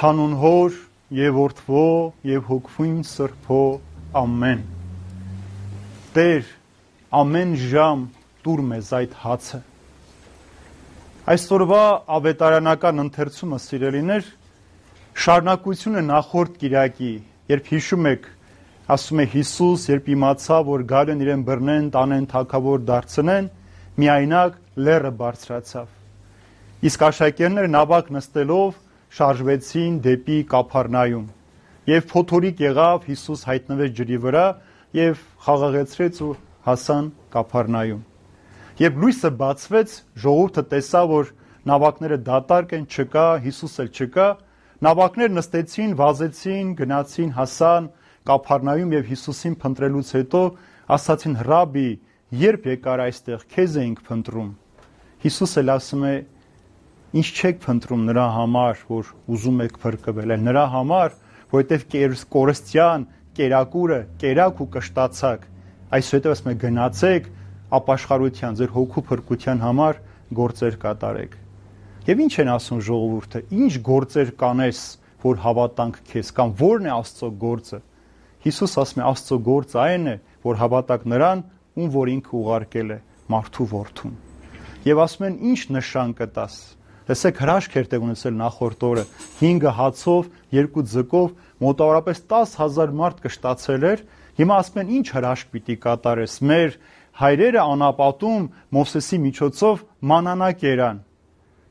Հանուն Հոր եւ Որդվո եւ Հոգվույն Սրբո ամեն։ Տեր, ամեն ժամ տուր մեզ այդ հացը։ Այսօրվա ավետարանական ընթերցումը, սիրելիներ, շարունակություն է նախորդ կիրակի, երբ հիշում եք, ասում է Հիսուս, երբ իմացավ, որ գալ են իրեն բռնեն, տանեն, թագավոր դարձնեն, միայնակ լեռը բարձրացավ։ Իսկ աշակերտները նավակ նստելով շարժվեցին դեպի Կափառնայում, եւ փոթորիկ եղավ, Հիսուս հայտնվեց ջրի վրա եւ խաղաղեցրեց ու հասան Կափառնայում։ Երբ լույսը բացվեց, ժողովուրդը տեսավ, որ նավակները դատարկ են, չկա, Հիսուս էլ չկա, նավակներ նստեցին, վազեցին, գնացին, հասան Կափառնայում եւ Հիսուսին փնտրելուց հետո ասացին. «Ռաբի, երբ եկար այստեղ, քեզ էինք փնտրում»։ Հիսուս էլ ասում է. «Ինչ չեք փնտրում նրա համար, որ ուզում եք փրկվել, այլ նրա համար, որովհետեւ կորստյան կերակուրը կերակ ու կշտացակ, այսուհետեւ ասում է գնացեք ապաշխարության, ձեր հոգու փրկության համար գործեր կատարեք»։ Եվ ինչ են ասում ժողովուրդը, ինչ գործեր կանես, որ հավատանք քեզ, կամ ո՞րն է Աստծո գործը։ Հիսուս ասում է Աստծո գործը այն է, որ հավատաք նրան, ում որ ինքը ուղարկել է, մարդու որդուն։ Եվ ասում են ինչ նշան կտաս։ Տեսեք, հրաշք էր տեղ ունեցել նախորդ օրը, 5 հացով, 2 ձկով, մոտավորապես 10,000 մարդ կշտացել էր։ Հիմա ասում են ինչ հրաշք պիտի կատարես։ Մեր հայրերը անապատում Մովսեսի միջոցով մանանա կերան։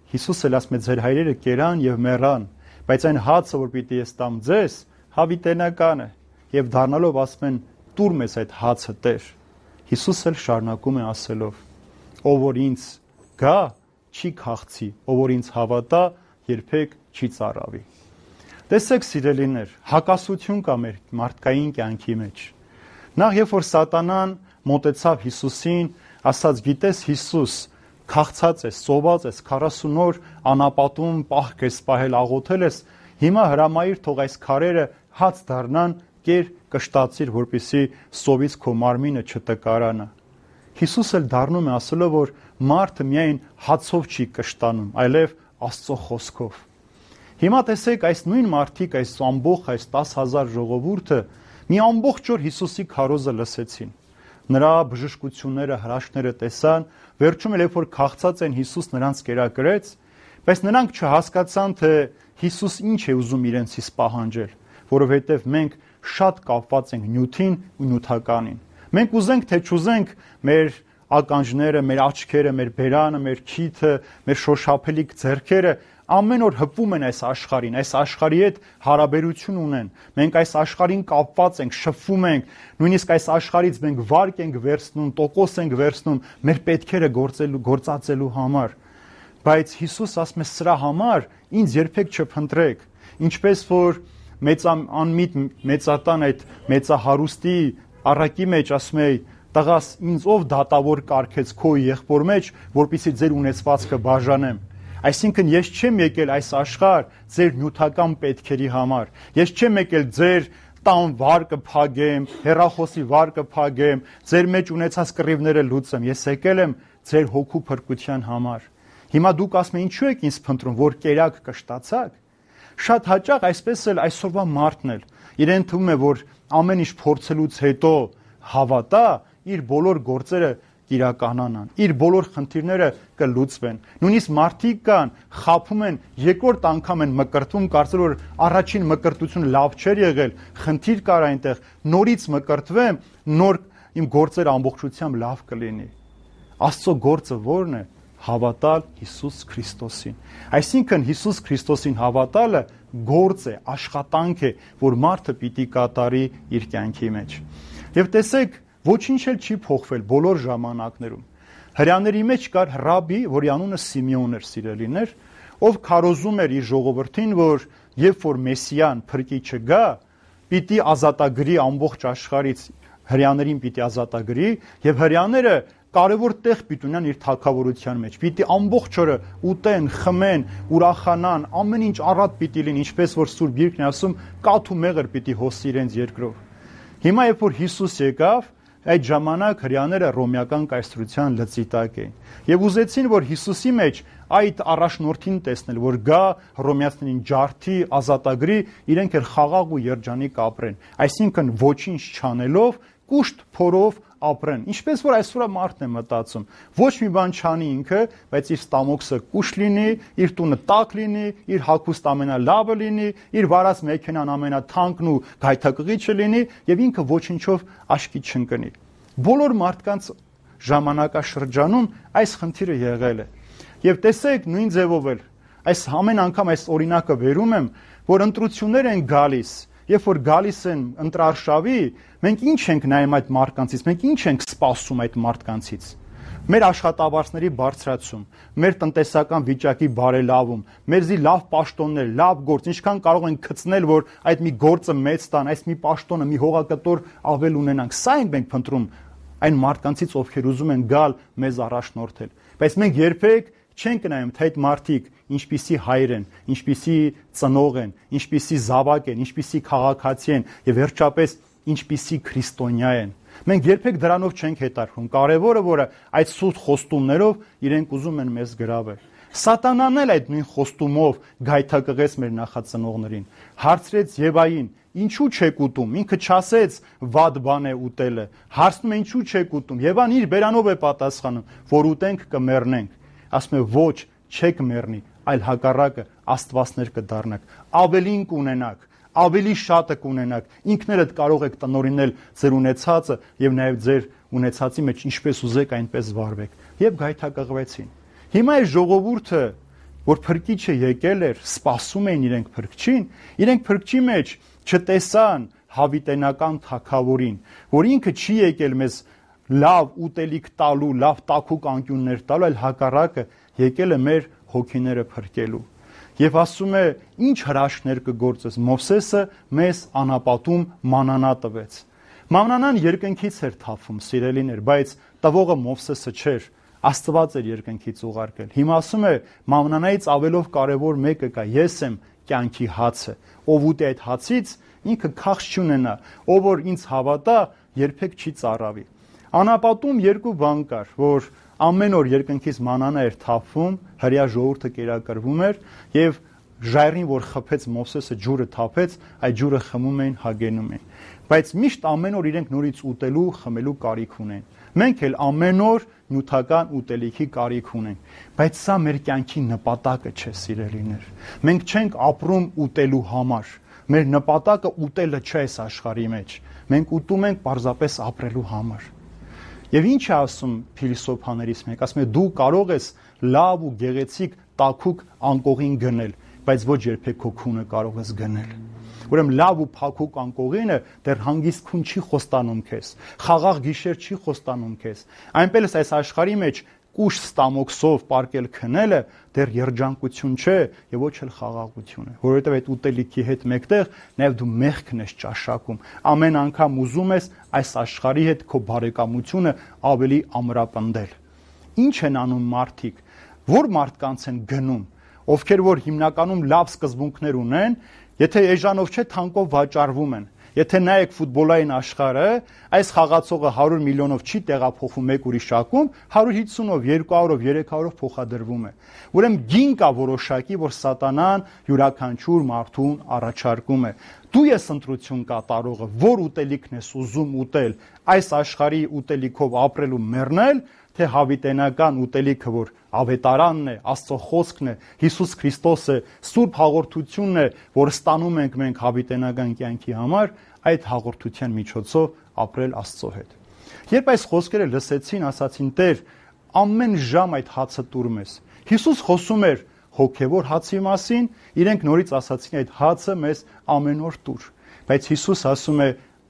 Հիսուս էլ ասում է ձեր հայրերը կերան եւ մեռան, բայց այն հացը, որ պիտի ես տամ ձեզ, հավիտենական է։ Եվ դառնալով ասում են տուր մեզ այդ հացը, Տեր։ Հիսուս էլ շարունակում է ասելով. ով որ ինձ գա, չի քաղցի, ով որ ինձ հավատա, երբեք չի ծարավի։ Տեսեք, սիրելիներ, հակասություն կա մեր մարդկային կյանքի մեջ։ Նախ երբ որ սատանան մոտեցավ Հիսուսին, ասաց. գիտես Հիսուս, քաղցած ես, սոված ես, 40 օր անապատում պահք ես պահել, աղոթել ես, հիմա հրամայիր թող այս քարերը հաց դառնան, կեր կշտացիր, որպեսզի սովից քո մարմինը չտկարանա։ Հիսուս էլ դառնում է ասելով, որ մարդը միայն հացով չի կշտանում, այլև Աստծո խոսքով։ Հիմա տեսեք, այս նույն մարդիկ, այս ամբողջ այս 10,000 ժողովուրդը մի ամբողջ օր Հիսուսի քարոզը լսեցին։ Նրա բժշկությունները, հրաշքները տեսան, վերջում էլ երբ որ քաղցած են, Հիսուս նրանց կերակրեց, բայց նրանք չհասկացան, թե Հիսուս ինչ է ուզում իրենցից պահանջել, որովհետև մենք շատ կապված ենք նյութին ու նյութականին։ Մենք ուզենք թե չուզենք, մեր ականջները, մեր աչքերը, մեր բերանը, մեր քիթը, մեր շոշափելիք ձեռքերը ամեն օր հպվում են այս աշխարհին, այս աշխարհի հետ հարաբերություն ունեն։ Մենք այս աշխարհին կապված ենք, շփվում ենք, նույնիսկ այս աշխարհից մենք վարկ ենք վերցնում, տոկոս ենք վերցնում մեր պետքերը գործածելու համար։ Բայց Հիսուս ասում է սրա համար ինձ երբեք չփնտրեք, ինչպես որ մեծանմիտ մեծատան այդ մեծահարուստի առակի մեջ ասում է. տղաս, ինձ ով դատավոր կարգեց քո եղբոր մեջ, որպեսզի ձեր ունեցվածքը բաժանեմ։ Այսինքն ես չեմ եկել այս աշխարհ ձեր նյութական պետքերի համար։ Ես չեմ եկել ձեր տան վարկը փագեմ, հեռախոսի վարկը փագեմ, ձեր մեջ ունեցած կռիվները լուծեմ։ Ես եկել եմ ձեր հոգու փրկության համար։ Հիմա դուք ասում եք ինչու եք ինձ փնտրում, որ կերակ կշտացաք։ Շատ հաճախ այսպես էլ այսօրվա մարդն էլ իրեն թվում է, որ ամեն ինչ փորձելուց հետո հավատա, իր բոլոր գործերը իրականանան, իր բոլոր խնդիրները կլուծվեն։ Նույնիսկ մարդիկ կան, խաբում են, երկրորդ անգամ են մկրտվում, կարծել որ առաջին մկրտությունը լավ չէր եղել, խնդիր կար այնտեղ, նորից մկրտվեմ, նոր իմ գործերը ամբողջությամբ լավ կլինի։ Աստծո գործը ո՞րն է։ Հավատալ Հիսուս Քրիստոսին։ Այսինքն Հիսուս Քրիստոսին հավատալը գործ է, աշխատանք է, որ մարդը պիտի կատարի իր կյանքի մեջ։ Եվ տեսեք, ոչինչ էլ չի փոխվել բոլոր ժամանակներում։ Հրյաների մեջ կար ռաբի, որի անունը Սիմեոն էր, սիրելիներ, ով քարոզում էր իր ժողովրդին, որ երբ որ Մեսիան փրկիչը գա, պիտի ազատագրի ամբողջ աշխարհից, հրյաներին պիտի ազատագրի, եւ հրյաները կարևոր տեղ պիտի ունենան իր թագավորության մեջ։ Պիտի ամբողջ օրը ուտեն, խմեն, ուրախանան, ամեն ինչ առատ պիտի լինի, ինչպես որ Սուրբ Գիրքն է ասում, կաթ ու մեղր պիտի հոսի իրենց երկրով։ Հիմա երբ որ Հիսուս եկավ, այդ ժամանակ հրյաները ռոմեական կայսրության լծի տակ էին եւ ուզեցին, որ Հիսուսի մեջ այդ առաջնորդին տեսնել, որ գա հռոմեացիներին ջարդի, ազատագրի, իրենք էլ խաղաղ ու երջանիկ ապրեն։ Այսինքն ոչինչ չանելով, կուշտ փորով ապրեն։ Ինչպես որ այսօր մարդն է մտածում, ոչ մի բան չանի ինքը, բայց իր ստամոքսը կուշտ լինի, իր տունը տաք լինի, իր հագուստ ամենալավը լինի, իր վարած մեքենան ամենաթանկն ու գայթակղիչը լինի եւ ինքը ոչինչով աշկի չընկնի։ Բոլոր մարդկանց ժամանակաշրջանում այս խնդիրը եղել է։ Եվ տեսեք նույն ձևով էլ այս ամեն անգամ այս օրինակը վերում եմ, որ ընտրություններ են գալիս, երբ որ գալիս են ընտրարշավի, մենք ինչ ենք նայում այդ մարդկանցից, մենք ինչ ենք սպասում այդ մարդկանցից։ Մեր աշխատավարձների բարձրացում, մեր տնտեսական վիճակի բարելավում, մեզի լավ պաշտոններ, լավ գործ, ինչքան կարող ենք գցնել, որ այդ մի գործը մեծ տան, այս մի պաշտոնը, մի հողակտոր ավել ունենանք։ Սա ենք մենք փնտրում այն մարդկանցից, ովքեր ուզում են գալ մեզ առաջնորդել։ Բայց մենք երբեք չենք նայում, թե այդ մարդիկ ինչպիսի հայր են, ինչպիսի ծնող են, ինչպիսի զավակ են, ինչպիսի քաղաքացի են եւ վերջապես ինչպիսի քրիստոնյա են։ Մենք երբեք դրանով չենք հետարքում։ Կարևորը, որը այդ սուտ խոստումներով իրենք ուզում են մեզ գրավել։ Սատանան էլ այդ նույն խոստումով գայթակղեց մեր նախածնողներին։ Հարցրեց Եվային. «Ինչու չեք ուտում»։ Ինքը չասեց վատ բան է ուտելը։ Հարցնում է ինչու չեք ուտում։ Եվան իր բերանով է պատասխանում, որ ուտենք կմեռնենք։ Ասում է ոչ, չեք մեռնի, այլ հակառակը աստվածներ կդառնաք, ավելին կունենաք, ավելի շատը կունենաք, ինքներդ կարող եք տնօրինել ձեր ունեցածը եւ նաեւ ձեր ունեցածի մեջ ինչպես ուզեք այնպես վարվեք։ Եվ գայթակղվեցին։ Հիմա այս ժողովուրդը, որ փրկիչը եկել էր, սպասում էին իրենք փրկչին, իրենք փրկչի մեջ չտեսան հավիտենական թագավորին, որ ինքը չի եկել մեզ լավ ուտելիք տալու, լավ տաքուկ անկյուններ տալու, այլ հակառակը եկել է մեր հոգիները փրկելու։ Եվ ասում է, ինչ հրաշքներ կգործես։ Մովսեսը մեզ անապատում մանանա տվեց։ Մանանան երկնքից էր թափում, սիրելիներ, բայց տվողը Մովսեսը չէր, Աստված էր երկնքից ուղարկել։ Հիմա ասում է, մանանայից ավելով կարևոր մեկը կա, ես եմ կյանքի հացը։ Ով ուտի այդ հացից, ինքը քաղց չունենա, ով որ ինձ հավատա, երբեք չի ծառավի։ Անապատում երկու բան կար, որ ամեն օր երկնքից մանանա էր թափվում, հրեա ժողովուրդը կերակրվում էր եւ ժայռին, որ խփեց Մովսեսը, ջուրը թափեց, այդ ջուրը խմում էին, հագենում էին։ Բայց միշտ ամեն օր իրենք նորից ուտելու, խմելու կարիք ունեն։ Մենք էլ ամեն օր նյութական ուտելիքի կարիք ունենք, բայց սա մեր կյանքի նպատակը չէ, սիրելիներ։ Մենք չենք ապրում ուտելու համար։ Մեր նպատակը ուտելը չէ այս աշխարհի մեջ։ Մենք ուտում ենք պարզապես ապրելու համար։ Եվ ինչ է ասում փիլիսոփաներից մեկ, ասում է դու կարող ես լավ ու գեղեցիկ տաքուկ անկողին գնել, բայց ոչ երբեք քո քունը կարող ես գնել։ Ուրեմն լավ ու փափուկ անկողինը դեռ հանգիստ քուն չի խոստանում քեզ, խաղաղ գիշեր չի խոստանում քեզ։ Այնպես այս աշխարհի մեջ կուշ ստամոքսով պարկել քնելը դեռ երջանկություն չէ եւ ոչ էլ խաղաղություն է, որովհետեւ այդ ուտելիքի հետ մեկտեղ նաեւ դու մեղքն ես ճաշակում։ Ամեն անգամ ուզում ես այս աշխարհի հետ քո բարեկամությունը ավելի ամրապնդել։ Ինչ են անում մարդիկ, որ մարդկանց են գնում, ովքեր որ հիմնականում լավ սկզբունքներ ունեն, եթե էժանով չէ թանկով վաճառվում են։ Եթե նայեք ֆուտբոլային աշխարհը, այս խաղացողը 100 միլիոնով չի տեղափոխվում մեկ ուրիշակում, 150-ով, 200-ով, 300-ով փոխադրվում է։ Ուրեմն գին կա որոշակի, որ սատանան յուրաքանչյուր մարդուն առաջարկում է։ Դու ես ընտրություն կատարողը, որ ուտելիքն ես ուզում ուտել, այս աշխարհի ուտելիքով ապրելու մեռնել, թե հավիտենական ուտելիքը, որ ավետարանն է, Աստծո խոսքն է, Հիսուս Քրիստոսը, Սուրբ հաղորդությունն է, որ ստանում ենք մենք հավիտենական կյանքի համար, այդ հաղորդության միջոցով ապրել Աստծո հետ։ Երբ այս խոսքերը լսեցին, ասացին. Տեր, ամեն ժամ այդ հացը տուր մեզ։ Հիսուս խոսում էր հոգևոր հացի մասին, իրենք նորից ասացին այդ հացը մեզ ամեն օր տուր։ Բայց Հիսուս ասում է,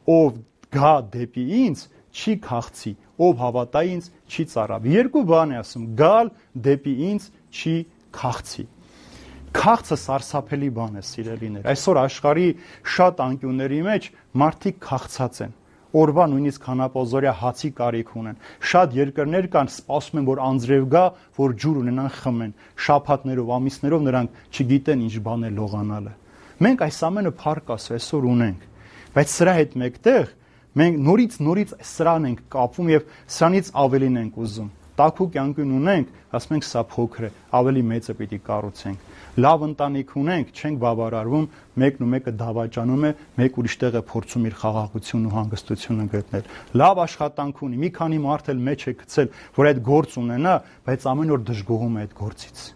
ով գա դեպի ինձ, չի քաղցի, ով հավատա ինձ, չի ծառավի։ Երկու բան է ասում, գալ դեպի ինձ չի քաղցի։ Քաղցը սարսափելի բան է, սիրելիներ։ Այսօր աշխարհի շատ անկյունների մեջ մարդիկ քաղցած են։ Օրվա նույնիսկ հանապազորյա հացի կարիք ունեն։ Շատ երկրներ կան, սպասում են, որ անձրև գա, որ ջուր ունենան խմեն։ Շաբաթներով, ամիսներով նրանք չգիտեն ինչ բան է լողանալը։ Մենք այս ամենը փառք Աստծո այսօր ունենք, բայց սրա հետ մեկտեղ մենք նորից սրան ենք կապվում եւ սրանից ավելին ենք ուզում։ տաքուկ կյանքին ունենք, ասում ենք սա փոքր է, ավելի մեծը պիտի կառուցենք։ Լավ ընտանիք ունենք, չենք բավարարվում, մեկն ու մեկը դավաճանում է, մեկ ուրիշ տեղ է փորձում իր խաղաղությունն ու հանգստությունը գտնել։ Լավ աշխատանք ունի, մի քանի մարդ էլ մեջ է գցել, որ այդ գործ ունենա, բայց ամեն օր դժգոհում է այդ գործից։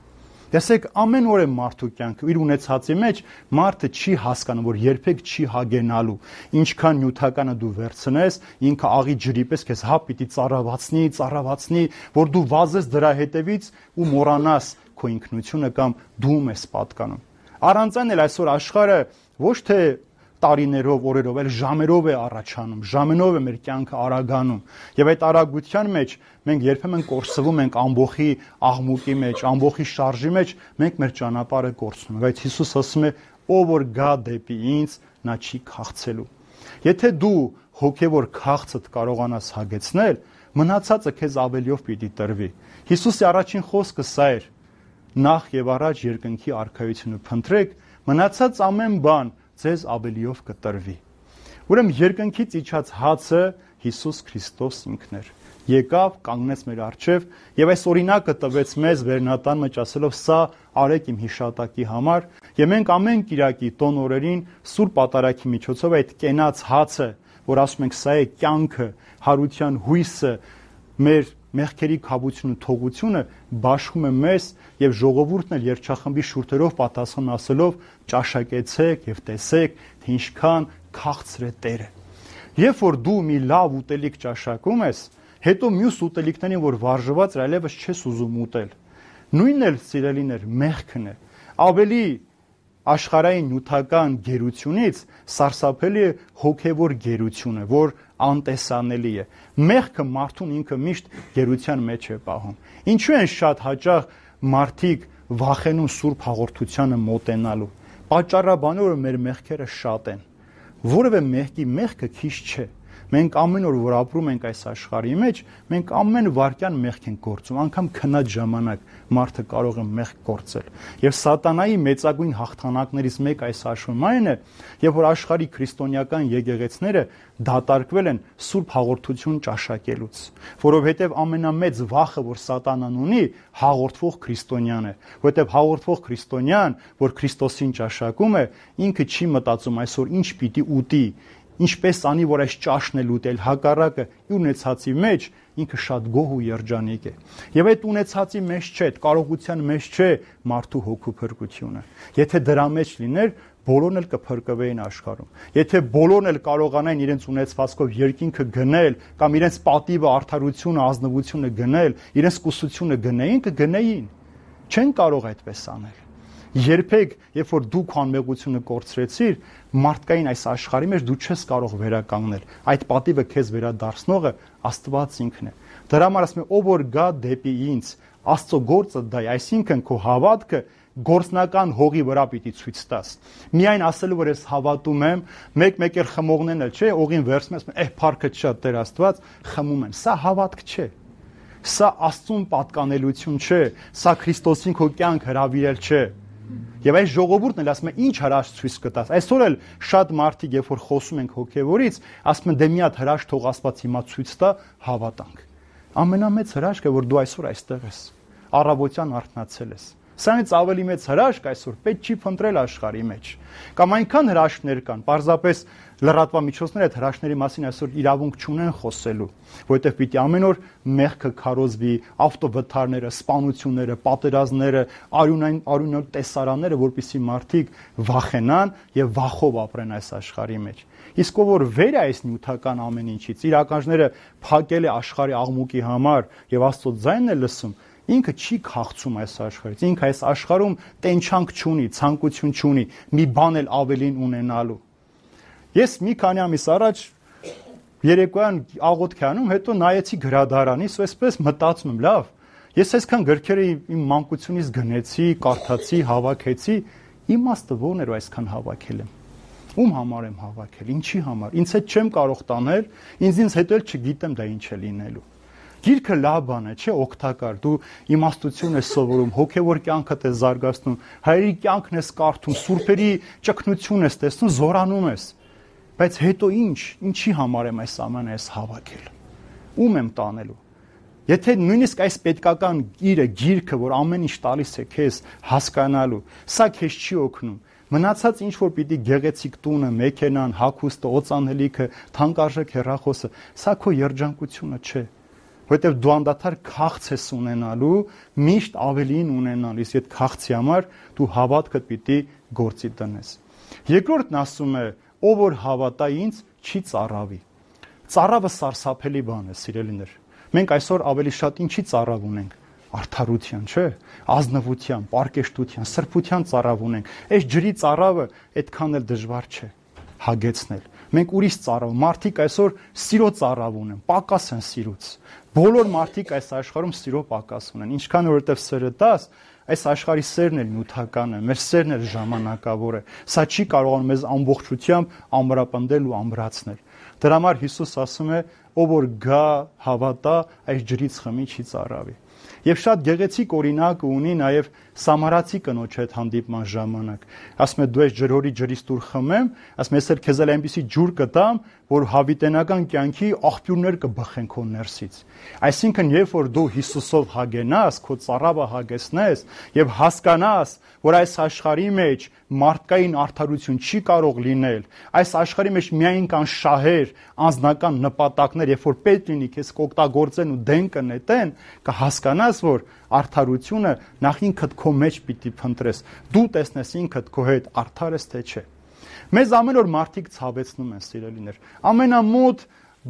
Տեսեք, ամեն օր է մարդու կյանքը, իր ունեցածի մեջ մարդը չի հասկանում, որ երբեք չի հագենալու։ Ինչքան նյութականը դու վերցնես, ինքը աղի ջրի պես քեզ հա պիտի ծառավացնի, որ դու վազես դրա հետևից ու մոռանաս քո ինքնությունը կամ դու ես պատկանում։ Առանց այն էլ այսօր աշխարհը ոչ թե տարիներով, օրերով, այլ ժամերով է առաջանում, ժամենով է մեր կյանքը արագանում։ Եվ այդ արագության մեջ մենք երբեմն կորսվում ենք ամբողի աղմուկի մեջ, ամբողի շարժի մեջ, մենք մեր ճանապարհը կորցնում ենք։ Բայց Հիսուս ասում է, ով որ գա դեպի ինձ, նա չի քաղցելու։ Եթե դու հոգևոր քաղցդ կարողանաս հագեցնել, մնացածը քեզ ավելիով պիտի տրվի։ Հիսուսի առաջին խոսքը սա էր. նախ եւ առաջ երկնքի արքայությունը փնտրեք, մնացած ամեն բան ձեզ ավելիով կտրվի։ Ուրեմն երկնքից իջած հացը Հիսուս Քրիստոս ինքն էր։ Եկավ, կանգնեց մեր առջև եւ այս օրինակը տվեց մեզ վերնատան մեջ ասելով սա արեք իմ հիշատակի համար եւ մենք ամեն Կիրակի տոն օրերին Սուրբ Պատարագի միջոցով այդ կենաց հացը, որ ասում ենք սա է կյանքը, հարության հույսը, մեր մեղքերի քավությունը, թողությունը բաշխում է մեզ եւ ժողովուրդն էլ երգչախմբի շուրթերով պատասխան ասելով ճաշակեցեք եւ տեսեք, թե ինչքան քաղցր է Տերը։ Երբ որ դու մի լավ ուտելիք ճաշակում ես, հետո մյուս ուտելիքներին, որ վարժված էր, այլևս չես ուզում ուտել։ Նույնն էլ սիրելիներ մեղքն է։ Ավելի աշխարհային նյութական գերությունից սարսափելի է հոգևոր գերությունը, որ անտեսանելի է։ Մեղքը մարդուն ինքը միշտ գերության մեջ է պահում։ Ինչու են շատ հաճախ մարդիկ վախենում Սուրբ հաղորդությանը մոտենալու։ Պատճառաբանը որ մեր մեղքերը շատ են։ Որևէ մեղքի մեղքը քիչ չէ։ Մենք ամեն օր որ ապրում ենք այս աշխարհի մեջ, մենք ամեն վարքյան մեղք ենք գործում, անգամ քնած ժամանակ մարդը կարող է մեղք գործել։ Եվ սատանայի մեծագույն հաղթանակներից մեկը այս աշխարհում այն է, երբ որ աշխարհի քրիստոնեական եկեղեցիները դատարկվել են Սուրբ հաղորդություն ճաշակելուց, որովհետև ամենամեծ վախը, որ սատանան ունի, հաղորդվող քրիստոնյան է, որովհետև հաղորդվող քրիստոնյան, որ Քրիստոսին ճաշակում է, ինքը չի մտածում այսօր ինչ պիտի ուտի, ինչպես անի, որ այս ճաշն էլ ուտել, հակառակը իր ունեցածի մեջ ինքը շատ գոհ ու երջանիկ է։ Եվ այդ ունեցածի մեջ չէ, այդ կարողության մեջ չէ մարդու հոգու փրկությունը։ Եթե դրա մեջ լիներ, բոլորն էլ կփրկվեին աշխարհում։ Եթե բոլորն էլ կարողանային իրենց ունեցվածքով երկինքը գնել կամ իրենց պատիվը, արդարությունը, ազնվությունը գնել, իրենց կուսությունը գնեին, կգնեին։ Չեն կարող այդպես անել։ Երբեք, երբ որ դու քո անմեղությունը կորցրեցիր, մարդկային այս աշխարհի մեջ դու չես կարող վերականգնել։ Այդ պատիվը քեզ վերադարձնողը Աստված ինքն է։ Դրա համար ասում է, ով որ գա դեպի ինձ, Աստծո գործը դա է, այսինքն քո հավատքը գործնական հողի վրա պիտի ցույց տաս։ Միայն ասելու որ ես հավատում եմ, մեկ էլ խմողներն էլ չէ, օղին վերցնում ես, փառքը չա Տեր Աստված, խմում են։ Սա հավատք չէ։ Սա Աստծուն պատկանելություն չէ, սա Քրիստոսին քո կյանք հրավիրել չէ։ Եվ այս ժողովուրդն էլ ասում է ինչ հրաշք ցույց կտաս։ Այսօր էլ շատ մարդիկ, երբ որ խոսում ենք հոգևորից, ասում են դե մի հատ հրաշք թող Աստված հիմա ցույց տա, հավատանք։ Ամենամեծ հրաշքը որ դու այսօր այստեղ ես, առավոտյան արթնացել ես։ Սրանից ավելի մեծ հրաշք այսօր պետք չի փնտրել աշխարհի մեջ։ Կամ այնքան հրաշքներ կան, պարզապես լրատվամիջոցները այդ հրաշքների մասին այսօր իրավունք չունեն խոսելու, որովհետև պիտի ամեն օր մեղքը քարոզվի, ավտովթարները, սպանությունները, պատերազմները, արյունոտ տեսարանները, որպեսզի մարդիկ վախենան եւ վախով ապրեն այս աշխարհի մեջ։ Իսկ ով որ վեր է այս նյութական ամեն ինչից, իր ականջները փակել է աշխարհի աղմուկի համար եւ Աստծո ձայնն է լսում, ինքը չի քաղցում այս աշխարհից, ինքը այս աշխարհում տենչանք չունի, ցանկություն չունի, մի բան էլ ավելին ունենալու։ Ես մի քանի ամիս առաջ երեկոյան աղոթք անում, հետո նայեցի գրադարանից ու այսպես մտածում եմ, լավ, ես այսքան գրքերը իմ մանկությունից գնեցի, կարդացի, հավաքեցի, իմաստը ո՞րն էր այսքան հավաքել եմ։ Ում համար եմ հավաքել, ինչի համար։ Ինձ հետ չեմ կարող տանել, ինձ հետո էլ չգիտեմ դա ինչ է լինելու։ Գիրքը լավ բան է, չէ, օգտակար։ Դու իմաստություն ես սովորում, հոգևոր կյանքդ ես զարգացնում, հայերի կյանքն ես կարդում, սուրբերի ճգնություն ես տեսնում, զորանում ես։ Բայց հետո ինչի համար եմ այս ամենը ես հավաքել։ Ում եմ տանելու։ Եթե նույնիսկ այս պետքական գիրքը, որ ամեն ինչ տալիս է քեզ հասկանալու, սա քեզ չի օգնում։ Մնացած ինչ որ պիտի գեղեցիկ տունը, մեքենան, հագուստը, օծանելիքը, թանկարժեք հեռախոսը, սա քո երջանկությունը չէ։ Որտեւ դու անդադար քաղց ես ունենալու, միշտ ավելին ունենալիս, այդ քաղցի համար դու հավատքդ պիտի գործի տնես։ Երկրորդն ասում է, ով որ հավատա ինձ, չի ծառավի։ Ծառավը սարսափելի բան է, սիրելիներ։ Մենք այսօր ավելի շատ ինչի ծառավ ունենք։ Արդարության, չէ՞, ազնվության, պարկեշտության, սրբության ծառավ ունենք։ Այս ջրի ծառավը այդքան էլ դժվար չէ հագեցնել։ Մենք ուրիշ ծառավ, մարդիկ այսօր սիրո ծառավ ունեն, պակաս են սիրուց։ Բոլոր մարդիկ այս աշխարհում սիրո պակաս ունեն։ Ինչքան որովհետև սերը տաս, այս աշխարհի սերն էլ նյութական է, մեր սերն էլ ժամանակավոր է։ Սա չի կարողանում մեզ ամբողջությամբ ամրապնդել ու ամրացնել։ Դրա համար Հիսուս ասում է, ով որ գա, հավատա, այս ջրից խմի, չի ծառավի։ Եվ շատ գեղեցիկ օրինակ ունի նաև Սամարացի կնոջ հետ հանդիպման ժամանակ։ Ասում է դու այս ջրորի ջրից դուր խմեմ, ասում է ես էլ քեզ էլ այնպիսի ջուր կտամ, որ հավիտենական կյանքի աղբյուրներ կբխեն քո ներսից։ Այսինքն, երբ որ դու Հիսուսով հագենաս, քո ծառավը հագեցնես եւ հասկանաս, որ այս աշխարհի մեջ մարդկային արդարություն չի կարող լինել, այս աշխարհի մեջ միայն կան շահեր, անձնական նպատակներ, երբ որ պետք լինի քեզ կօգտագործեն ու դեն կնետեն, կհասկանաս, որ արդարությունը նախ ինքդ քո մեջ պիտի փնտրես, դու տեսնես ինքդ քո հետ արդար ես թե չէ։ Մեզ ամեն օր մարդիկ ցավեցնում են, սիրելիներ։ Ամենամոտ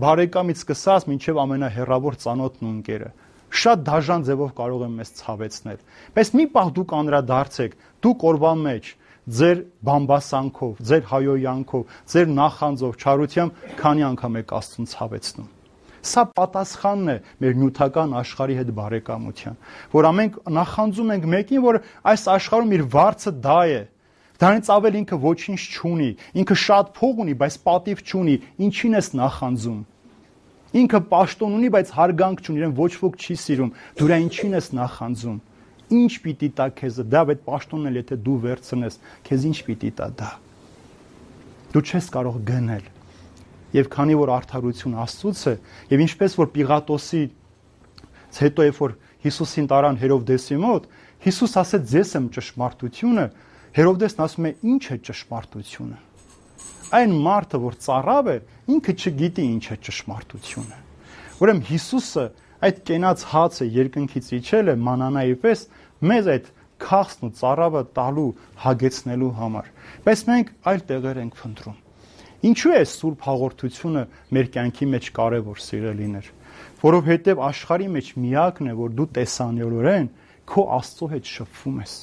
բարեկամից սկսած մինչև ամենահեռավոր ծանոթն ու ընկերը։ Շատ դաժան ձևով կարող են մեզ ցավեցնել։ Բայց մի պահ դուք անդրադարձեք, դուք օրվա մեջ ձեր բամբասանքով, ձեր հայոյանքով, ձեր նախանձով, չարությամբ քանի անգամ եք Աստծուն ցավեցնում։ Սա պատասխանն է մեր նյութական աշխարհի հետ բարեկամության, որ ամենք նախանձում ենք մեկին, որ այս աշխարհում իր վարձը դա է։ Դրանից ավել ինքը ոչինչ չունի, ինքը շատ փող ունի, բայց պատիվ չունի, ինչին ես նախանձում։ Ինքը պաշտոն ունի, բայց հարգանք չունի, իրեն ոչ ոք չի սիրում, դու რა ինչին ես նախանձում։ Ինչ պիտի տա քեզ դա, այդ պաշտոնն էլ եթե դու վերցնես, քեզ ինչ պիտի տա դա։ Դու չես կարող գնել։ Եվ քանի որ արդարություն Աստծուց է, եւ ինչպես որ Պիղատոսից հետո երբ որ Հիսուսին տարան Հերովդեսի մոտ, Հիսուս ասեց ձեզ եմ ճշմարտությունը, Հերովդեսն ասում է ինչ է ճշմարտությունը։ Այն մարդը, որ ծառավ է, ինքը չգիտի ինչ է ճշմարտությունը։ Ուրեմն Հիսուսը այդ կենաց հացը երկնքից իջել է մանանայի պես մեզ այդ քաղցն ու ծառավը տալու, հագեցնելու համար։ Բայց մենք այլ տեղեր ենք փնտրում։ Ինչու է սուրբ հաղորդությունը մեր կյանքի մեջ կարևոր, սիրելիներ, որովհետև աշխարհի մեջ միակն է, որ դու տեսանյորորեն քո Աստծո հետ շփվում ես։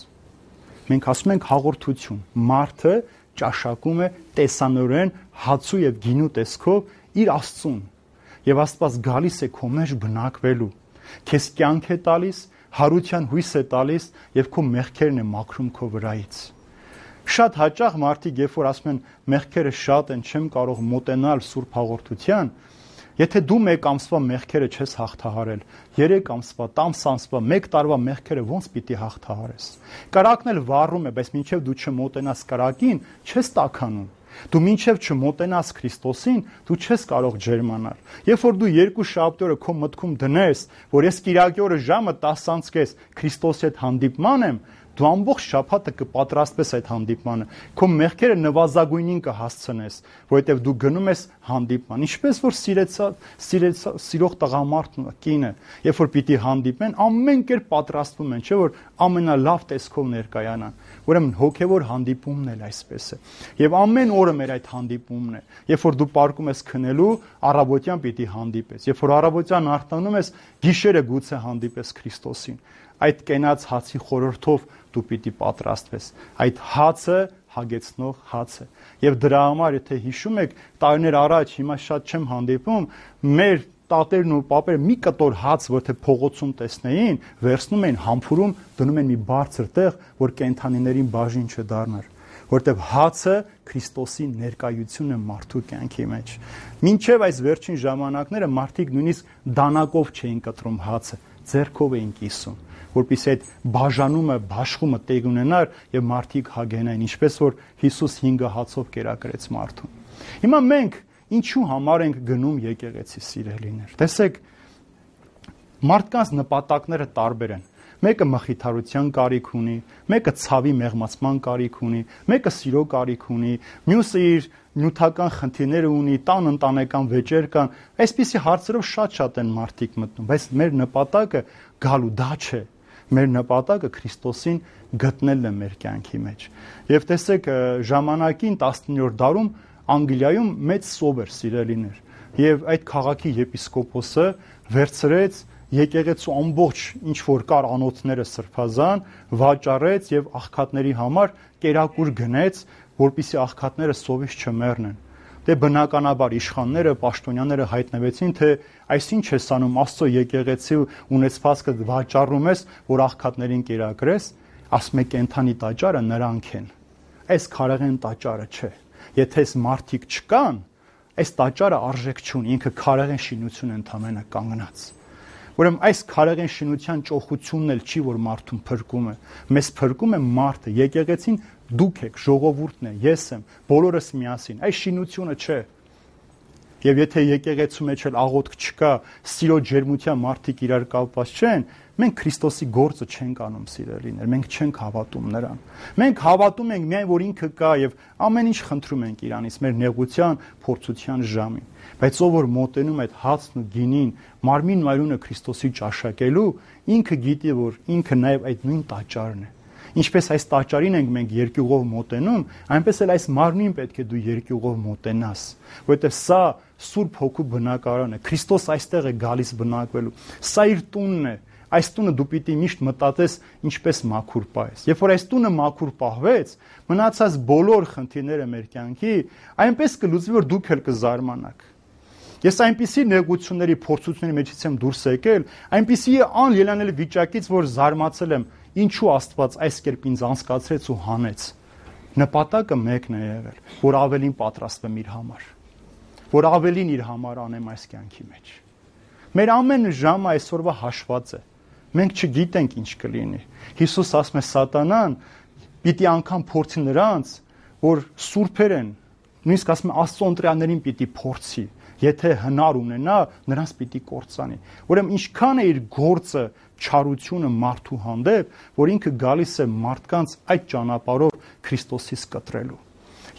Մենք ասում ենք հաղորդություն, մարդը ճաշակում է տեսանյորորեն հացու եւ գինու տեսքով իր Աստծուն, եւ Աստված գալիս է քո մեջ բնակվելու, քեզ կյանք է տալիս, հարության հույս է տալիս եւ քո մեղքերն է մաքրում քո վրայից։ Շատ հաճախ մարդիկ, երբ որ ասում են մեղքերը շատ են, չեմ կարող մոտենալ սուրբ հաղորդության, եթե դու մեկ ամսվա մեղքերը չես հաղթահարել, 3 ամսվա, 10 ամսվա, 1 տարվա մեղքերը ոնց պիտի հաղթահարես։ Կրակն էլ վառում է, բայց մինչև դու չմոտենաս կրակին, չես տաքանում։ Դու մինչև չմոտենաս Քրիստոսին, դու չես կարող ջերմանալ։ Երբ որ դու 2 շաբաթ օրը քո մտքում դնես, որ ես կիրակի օրը ժամը 10:30 Քրիստոսի հետ հանդիպման եմ, դու ամբողջ շաբաթը կպատրաստվես այդ հանդիպմանը, քո մեղքերը նվազագույնին կհասցնես, որովհետև դու գնում ես հանդիպման։ Ինչպես որ սիրող տղամարդն ու կինը, երբ որ պիտի հանդիպեն, ամեն կերպ պատրաստվում են, չէ՞ որ ամենալավ տեսքով ներկայանան։ Ուրեմն հոգևոր հանդիպումն էլ այսպես է։ Եվ ամեն օրը մեր այդ հանդիպումն է։ Երբ որ դու պարկում ես քնելու, առավոտյան պիտի հանդիպես։ Երբ որ առավոտյան արթնանում ես, գիշերը գուցե հանդիպես Քրիստոսին։ Այդ կենաց հացի խորհրդով դու պիտի պատրաստվես։ Այդ հացը հագեցնող հաց է։ Եվ դրա համար, եթե հիշում եք, տարիներ առաջ, հիմա շատ չեմ հանդիպում, մեր տատերն ու պապերը մի կտոր հաց, որ թե փողոցում տեսնեին, վերցնում էին համբուրում, դնում են մի բարձր տեղ, որ կենդանիներին բաժին չդառնար, որտեղ հացը Քրիստոսի ներկայությունն է մարդու կյանքի մեջ։ Մինչև այս վերջին ժամանակները մարդիկ նույնիսկ դանակով չէին կտրում հացը, ձեռքով էին կիսում, որպեսզի այդ բաժանումը, բաշխումը տեղ ունենար եւ մարդիկ հագենային, ինչպես որ Հիսուս 5 հացով կերակրեց մարդուն։ Հիմա մենք ինչու համար ենք գնում եկեղեցի, սիրելիներ։ Տեսեք, Մարդկանց նպատակները տարբեր են։ Մեկը մխիթարության կարիք ունի, մեկը ցավի մեղմացման կարիք ունի, մեկը սիրո կարիք ունի, մյուսը իր նյութական խնդիրները ունի, տան ընտանեկան վեճեր կան։ Այսպիսի հարցերով շատ են մարդիկ մտնում, բայց մեր նպատակը գալու դա չէ։ Մեր նպատակը Քրիստոսին գտնելն է մեր կյանքի մեջ։ Եվ տեսեք, ժամանակին 19-րդ դարում Անգլիայում մեծ սով էր, սիրելիներ, եւ այդ քաղաքի եպիսկոպոսը վերցրեց եկեղեցու ամբողջ ինչ որ կար անոթները սրբազան, վաճառեց եւ աղքատների համար կերակուր գնեց, որպիսի աղքատները սովից չմեռնեն։ Դե բնականաբար իշխանները, պաշտոնյաները հայտնվեցին, թե այսինչ ես անում, Աստծո եկեղեցի ունեցվածքը վաճառում ես, որ աղքատներին կերակրես, ասում է կենթանի տաճարը նրանք են։ Այս քարեղեն տաճարը չէ։ Եթե այս մարդիկ չկան, այս տաճարը արժեք չունի, ինքը քարեղեն շինություն ընդամենը կանգնած։ Ուրեմն այս քարեղեն շինության ճոխությունն էլ չի, որ մարդուն փրկում է։ Մեզ փրկում է մարդը, եկեղեցին դուք եք, ժողովուրդն է, ես եմ, բոլորս միասին։ Այս շինությունը չէ։ Եվ եթե եկեղեցու մեջ էլ աղոթք չկա, սիրո ջերմության մարդիկ իրար կապված չեն, մենք Քրիստոսի գործը չենք անում, սիրելիներ, մենք չենք հավատում նրան։ Մենք հավատում ենք միայն, որ ինքը կա եւ ամեն ինչ խնդրում ենք իրանից մեր նեղության, փորձության ժամին։ Բայց ով որ մոտենում այդ հացն ու գինին, մարմին մայրունը Քրիստոսի ճաշակելու, ինքը գիտի, որ ինքը նաեւ այդ նույն տաճարն է։ Ինչպես այս տաճարին ենք մենք երկյուղով մոտենում, այնպես էլ այս մարմին պետք է դու երկյուղով մոտենաս, որովհետև սա Սուրբ Հոգու բնակարանը է, Քրիստոս այստեղ է գալիս բնակվելու։ Սա իր տունն է, այս տունը դու պիտի միշտ մտածես ինչպես մաքուր պահես։ Երբ որ այս տունը մաքուր պահվեց, մնացած բոլոր խնդիրները մեր կյանքի այնպես կլուծվի, որ դուք էլ կզարմանաք։ Ես այնպիսի նեղությունների, փորձությունների մեջից եմ դուրս եկել, այնպիսի անելանելի վիճակից, որ զարմացել եմ, ինչու Աստված այս կերպ ինձ անցկացրեց ու հանեց։ Նպատակը մեկն է եղել, որ ավելին պատրաստվեմ իր համար, որ ավելին իր համար անեմ այս կյանքի մեջ։ Մեր ամեն ժամը այսօրվա հաշված է։ Մենք չգիտենք ինչ կլինի։ Հիսուս ասում է սատանան պիտի անգամ փորձի նրանց, որ սուրբեր են, նույնիսկ ասում է Աստծո ընտրյալներին պիտի փորձի։ Եթե հնար ունենա, նրանց պիտի կործանի։ Ուրեմն ինչքան է իր գործը չարությունը մարդու հանդեպ, որ ինքը գալիս է մարդկանց այդ ճանապարհով Քրիստոսից կտրելու։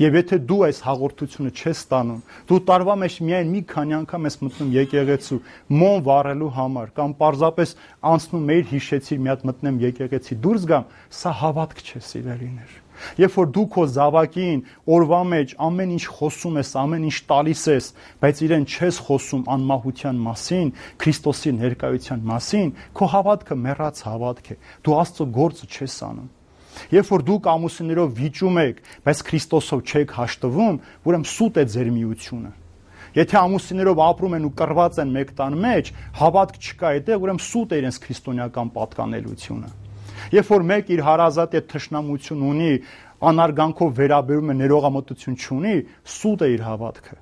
Եվ եթե դու այս հաղորդությունը չես ստանում, դու տարվա մեջ միայն մի քանի անգամ ես մտնում եկեղեցու մոն վառելու համար կամ պարզապես անցնում մեր հիշեցիր մի հատ մտնեմ եկեղեցի դուրս գամ, սա հավատք չէ, սիրելիներ։ Երբ որ դու քո զավակին օրվա մեջ ամեն ինչ խոսում ես, ամեն ինչ տալիս ես, բայց իրեն չես խոսում անմահության մասին, Քրիստոսի ներկայության մասին, քո հավատքը մեռած հավատք է։ Դու Աստծո գործը չես անում։ Երբ որ դուք ամուսիններով վիճում եք, բայց Քրիստոսով չեք հաշտվում, ուրեմն սուտ է ձեր միությունը։ Եթե ամուսիններով ապրում են ու կռված են մեկ տան մեջ, հավատք չկա այդտեղ, ուրեմն սուտ է իրենց քրիստոնեական պատկանելությունը։ Երբ որ մեկ իր հարազատ է թշնամություն ունի, անարգանքով վերաբերում է, ներողամտություն չունի, սուտ է իր հավատքը։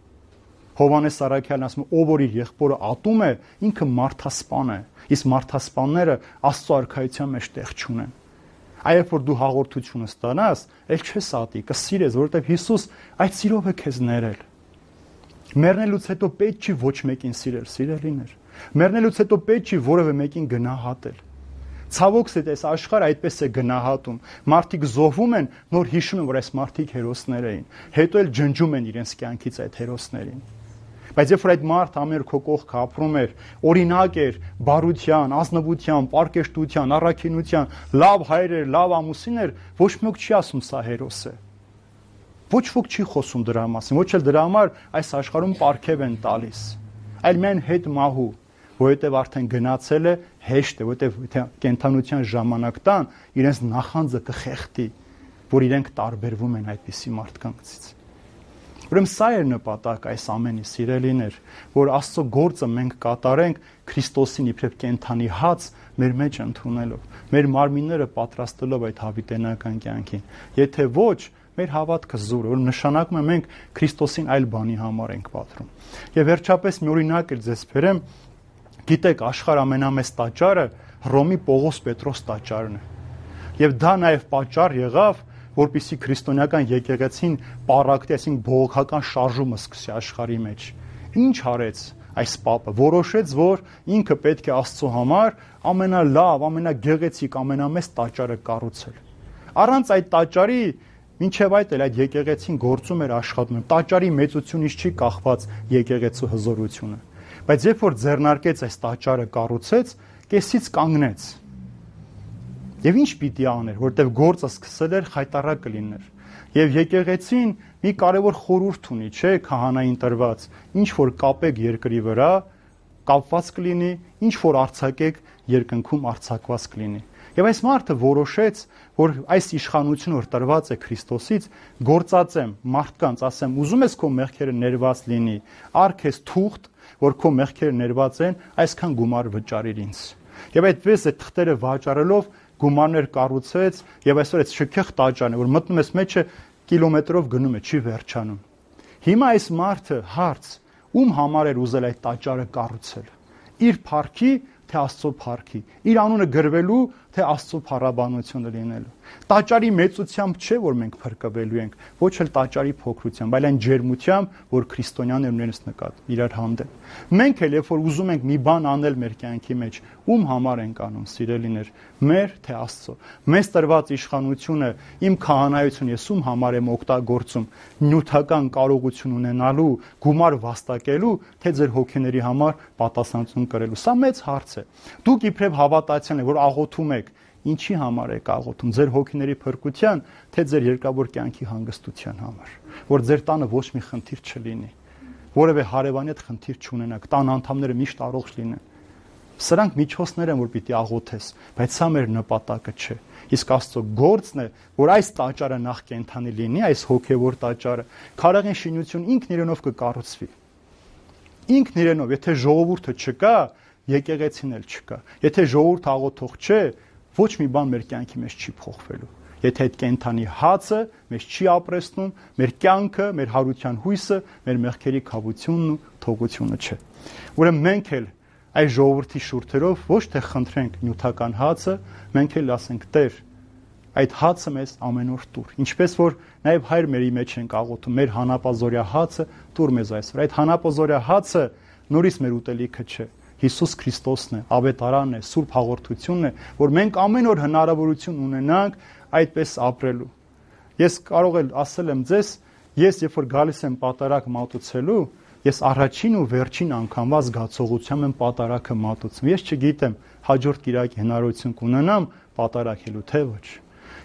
Հովհաննես Առաքյալն ասում է, ով որ իր եղբորը ատում է, ինքը մարդասպան է, իսկ մարդասպանները Աստծո արքայության մեջ տեղ չունեն։ Այբ որ դու հաղորդությունը ստանաս, ել չես ատի, կսիրես, որովհետև Հիսուս այդ սիրով է քեզ ներել։ Մեռնելուց հետո պետք չի ոչ մեկին սիրել, սիրելիներ։ Մեռնելուց հետո պետք չի որևէ մեկին գնահատել։ Ցավոք սետ այս աշխարհը այդպես է գնահատում։ Մարդիկ զոհվում են, նոր հիշում են, որ այս մարդիկ հերոսներ էին։ Հետո էլ ջնջում են իրենց կյանքից այդ հերոսներին։ Բայց երբ որ այդ մարդը ամեն օր քո կողքը ապրում էր, օրինակ էր բարության, ազնվության, պարկեշտության, առաքինության, լավ հայր էր, լավ ամուսին էր, ոչ ոք չի ասում սա հերոս է։ Ոչ ոք չի խոսում դրա մասին, ոչ էլ դրա համար այս աշխարհում պարգև են տալիս։ Այլ միայն հետ մահու, որովհետև արդեն գնացել է, հեշտ է, որովհետև կենթանության ժամանակ տան, իրենց նախանձը կխեղդի, որ իրենք տարբերվում են այդպիսի մարդկանցից։ Ուրեմն սա է նպատակ այս ամենի, սիրելիներ, որ Աստծո գործը մենք կատարենք Քրիստոսին իբրև կենթանի հաց մեր մեջ ընդունելով, մեր մարմինները պատրաստելով այդ հավիտենական կյանքին։ Եթե ոչ, մեր հավատքը զուր է, որ նշանակում է մենք Քրիստոսին այլ բանի համար ենք պատրում։ Եվ վերջապես մի օրինակ էլ ձեզ բերեմ, գիտեք, աշխարհ ամենամեծ տաճարը Հռոմի Պողոս Պետրոս տաճարն է։ Եվ դա նաև պատճառ եղավ, որպեսզի քրիստոնեական եկեղեցին պարակտի, այսինքն բողոքական շարժումը սկսի աշխարհի մեջ։ Ինչ արեց այս պապը, որոշեց, որ ինքը պետք է Աստծո համար ամենալավ, ամենագեղեցիկ, ամենամեծ տաճարը կառուցել։ Առանց այդ տաճարի մինչև այդ էլ այդ եկեղեցին գործում էր աշխատում։ Տաճարի մեծությունից չի կախված եկեղեցու հզորությունը։ Բայց երբ որ ձեռնարկեց այս տաճարը կառուցեց, կեսից կանգնեց։ Եվ ինչ պիտի աներ, որտեվ գործը սկսել էր խայտառակ կլիներ։ Եվ եկեղեցին մի կարևոր խորհուրդ ունի, չէ, քահանային տրված, ինչ որ կապեք երկրի վրա, կապված կլինի, ինչ որ արձակեք, երկնքում արձակված կլինի։ Եվ այս մարդը որոշեց, որ այս իշխանությունը որ տրված է Քրիստոսից, գործածեմ մարդկանց, ասեմ, ուզում ես քո մեղքերը ներված լինի, արքես թուղթ, որ քո մեղքերը ներված են, այսքան գումար վճարիր ինձ։ Եվ այդպես այդ թղթերը վաճառելով գումարներ կառուցեց, եւ այսօր այդ շքեղ տաճարն է, որ մտնում ես մեջը կիլոմետրով գնում է, չի վերջանում։ Հիմա այս մարդը հարց, ում համար էր ուզել այդ տաճարը կառուցել։ Իր փառքի, թե Աստծո փառքի, իր անունը գրվելու, թե Աստծո փառաբանությունը լինելու։ Տաճարի մեծությամբ չէ, որ մենք փրկվելու ենք, ոչ էլ տաճարի փոքրությամբ, այլ այն ջերմությամբ, որ քրիստոնյաներն ունեն նկատ իրար հանդեպ։ Մենք էլ երբ որ ուզում ենք մի բան անել մեր կյանքի մեջ, ում համար ենք անում, սիրելիներ, մեր թե Աստծո։ Մեզ տրված իշխանությունը, իմ քահանայությունը ես ում համար եմ օգտագործում, նյութական կարողություն ունենալու, գումար վաստակելու, թե ձեր հոգիների համար պատասխանատվություն կրելու։ Սա մեծ հարց է։ Դուք իբրև հավատացյալ եք, որ աղոթում եք, ինչի համար եք աղոթում, ձեր հոգիների փրկության, թե ձեր երկրավոր կյանքի հանգստության համար, որ ձեր տանը ոչ մի խնդիր չլինի, որևէ հարևանի հետ խնդիր չունենաք, տան անդամները միշտ առողջ լինեն։ Սրանք միջոցներ են, որ պիտի աղոթես, բայց սա մեր նպատակը չէ։ Իսկ Աստծո գործն է, որ այս տաճարը նախ կենթանի լինի, այս հոգևոր տաճարը, քարաղին շինություն ինքն իրենով կկառուցվի։ Ինքն իրենով, եթե ժողովուրդը չկա, եկեղեցին էլ չկա։ Եթե ժողովուրդ աղոթող չէ, ոչ մի բան մեր կյանքի մեջ չի փոխվելու։ Եթե այդ կենթանի հացը մեզ չի ապրեցնում, մեր կյանքը, մեր հարության հույսը, մեր մեղքերի քավությունն ու թողությունը չէ։ Ուրեմն մենք էլ այս ժողովրդի շուրթերով ոչ թե խնդրենք նյութական հացը, մենք էլ ասենք Տեր, այդ հացը մեզ ամեն օր տուր։ Ինչպես որ նաև Հայր մերի մեջ ենք աղոթում, մեր հանապազորյա հացը տուր մեզ այսօր։ Այդ հանապազորյա հացը նորից մեր ուտելիքը չէ։ Հիսուս Քրիստոսն է, ավետարանն է, Սուրբ հաղորդությունն է, որ մենք ամեն օր հնարավորություն ունենանք այդպես ապրելու։ Ես կարող եմ ասել եմ ձեզ, ես երբ որ գալիս եմ պատարակ մատուցելու, ես առաջին ու վերջին անգամվա զգացողությամբ եմ պատարակը մատուցում։ Ես չգիտեմ հաջորդ կիրակի հնարավորություն կունենամ պատարակելու, թե ոչ։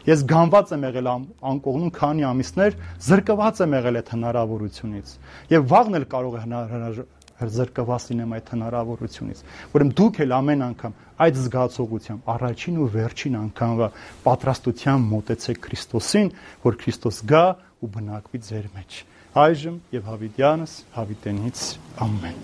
Ես գանված եմ եղել անկողնում քանի ամիսներ, զրկված եմ եղել այդ հնարավորությունից։ Եվ վաղն էլ կարող է զրկված լինեմ այդ հնարավորությունից։ Ուրեմն դուք էլ ամեն անգամ այդ զգացողությամբ առաջին ու վերջին անգամվա պատրաստությամբ մոտեցեք Քրիստոսին, որ Քրիստոս գա ու բնակվի ձեր մեջ։ Այժմ եւ հավիտյանս հավիտենից ամեն։